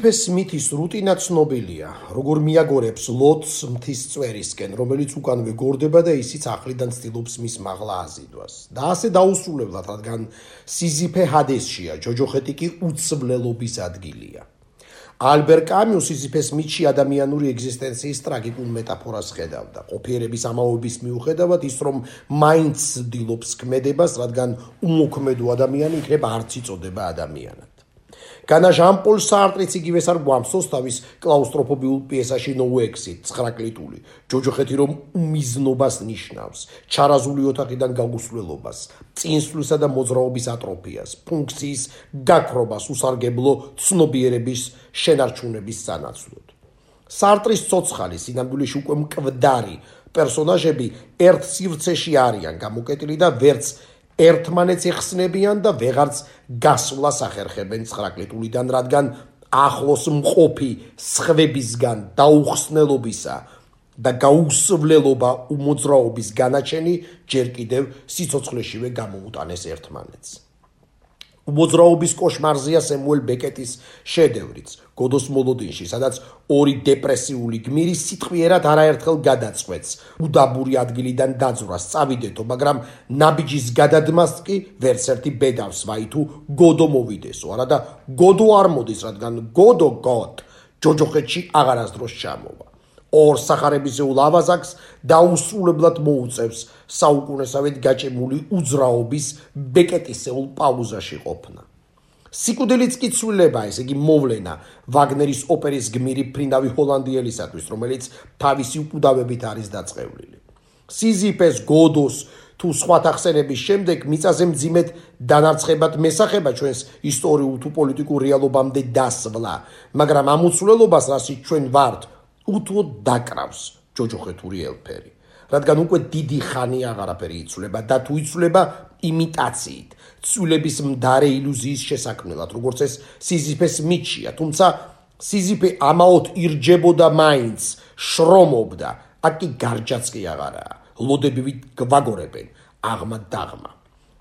სიზიფე სმითის რუტინა ცნობილია, როგორ მიაგორებს ლოტს მთის წვერისკენ, რომელიც უკანვე გორდება და ისიც ახლიდან ცდილობს მის მაღლა აზიდვას. და ასე დაუსრულებლად, რადგან სიზიფე ჰადესშია, ჯოჯოხეთი კი უცვლელობის ადგილია. ალბერ კამიუ სიზიფეს მითში ადამიანური ეგზისტენციის ტრაგიკულ მეტაფორას ხედავდა. ყოფიერების ამაოების მიუხედავად ის რომ მაინც ცდილობს ქმედებას, რადგან უმოქმედო ადამიანი იქნება არც იწოდება ადამიანად. განა ჟან-პოლ სარტრიც იგივეს არ გვამსოს თავის კლაუსტროფობიულ პიესაში No Exit 9 კლიტული. ჯოჯოხეთი რომ უმიზნობას ნიშნავს, ჩარაზული ოთახიდან გაგუსვლელობას, წინსვლისა და მოძრაობის ატროფიას, ფუნქციის გაქრობას უსარგებლო ცნობიერების შენარჩუნების სანაცვლოდ. სარტრის ცოცხალი სინამდვილეში უკვე მკვდარი პერსონაჟები ერთ სივრცეში არიან გამოკეტილი და ვერც ერთმანეთს ეხსნებიან და ვეღარც გასვლას ახერხებენ 9 კლიტულიდან, რადგან ახლოს მყოფი სხვებისგან დაუხსნელობისა და გაუსვლელობა უმოძრაობის განაჩენი ჯერ კიდევ სიცოცხლეშივე გამოუტანეს ერთმანეთს. უმოძრაობის კოშმარზია სემუელ ბეკეტის შედევრიც, გოდოს მოლოდინში, სადაც ორი დეპრესიული გმირი სიტყვიერად არაერთხელ გადაწყვეტს უდაბური ადგილიდან დაძვრას წავიდეთო, მაგრამ ნაბიჯის გადადმას კი ვერც ერთი ბედავს ვაი თუ გოდო მოვიდესო, არა და გოდო არ მოდის, რადგან გოდო ჯოჯოხეთში აღარასდროს ჩამოვა. ორ სახარებისეულ ავაზაკს დაუსრულებლად მოუწევს საუკუნესავით გაჭიმული უძრაობის ბეკეტისეულ პაუზაში ყოფნა. სიკვდილიც კი ცვლილება, ესე იგი მოვლენა ვაგნერის ოპერის გმირი ფრინავი ჰოლანდიელისათვის, რომელიც თავისი უკუდავებით არის დაწყევლილი. სიზიფეს, გოდოს თუ სხვათა ხსენების შემდეგ მიწაზე მძიმედ დანარცხებად მესახება ჩვენს ისტორიულ თუ პოლიტიკურ რეალობამდე დასვლა, მაგრამ ამ უცვლელობას, რასაც ჩვენ ვართ, უთუოდ დაკრავს ჯოჯოხეთური ელფერი, რადგან უკვე დიდი ხანი აღარაფერი იცვლება და თუ იცვლება იმიტაციით, ცვლილების მდარე ილუზიის შესაქმნელად, როგორც ეს სიზიფეს მითშია, თუმცა სიზიფე ამაოდ ირჯებოდა მაინც, შრომობდა, აქ კი გარჯაც კი აღარაა, ლოდები გვაგორებენ, აღმა დაღმა.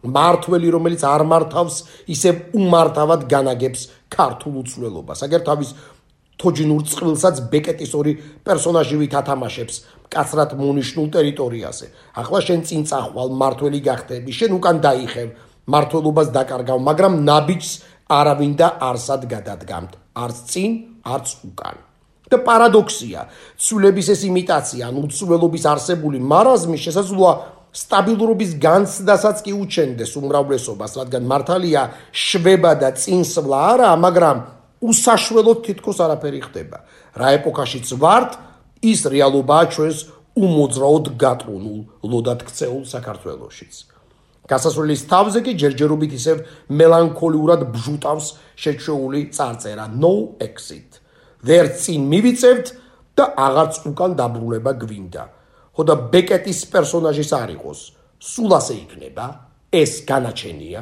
მართველი, რომელიც არ მართავს, ისევ უმართავად განაგებს ქართულ უცვლელობას, აგერ თავის თოჯინურ წყვილსაც ბეკეტის ორი პერსონაჟი ვითათამაშებს მკაცრად მონიშნულ ტერიტორიაზე. ახლა შენ წინ წახვალ, მართველი გახდები, შენ უკან დაიხევ, მართველობას დაკარგავ, მაგრამ ნაბიჯს არავინ და არსად გადადგამთ, არც წინ, არც უკან. და პარადოქსია, ცვლილების ეს იმიტაცია, ან უცვლელობის არსებული მარაზმი შესაძლოა სტაბილურობის განცდასაც კი უჩენდეს უმრავლესობას, რადგან მართალია შვება და წინსვლა არაა, მაგრამ უსაშველოდ თითქოს არაფერი ხდება. რა ეპოქაშიც ვართ, ის რეალობაა ჩვენს უმოძრაოდ გატრუნულ, ლოდად ქცეულ საქართველოშიც. გასასვლელის თავზე კი ჯერჯერობით ისევ მელანქოლიურად ბჟუტავს შეჩვეული წარწერა No Exit. ვერც წინ მივიწევთ და აღარც უკან დაბრუნება გვინდა. ხოდა ბეკეტის პერსონაჟის არ იყოს, სულ ასე იქნება, ეს განაჩენია.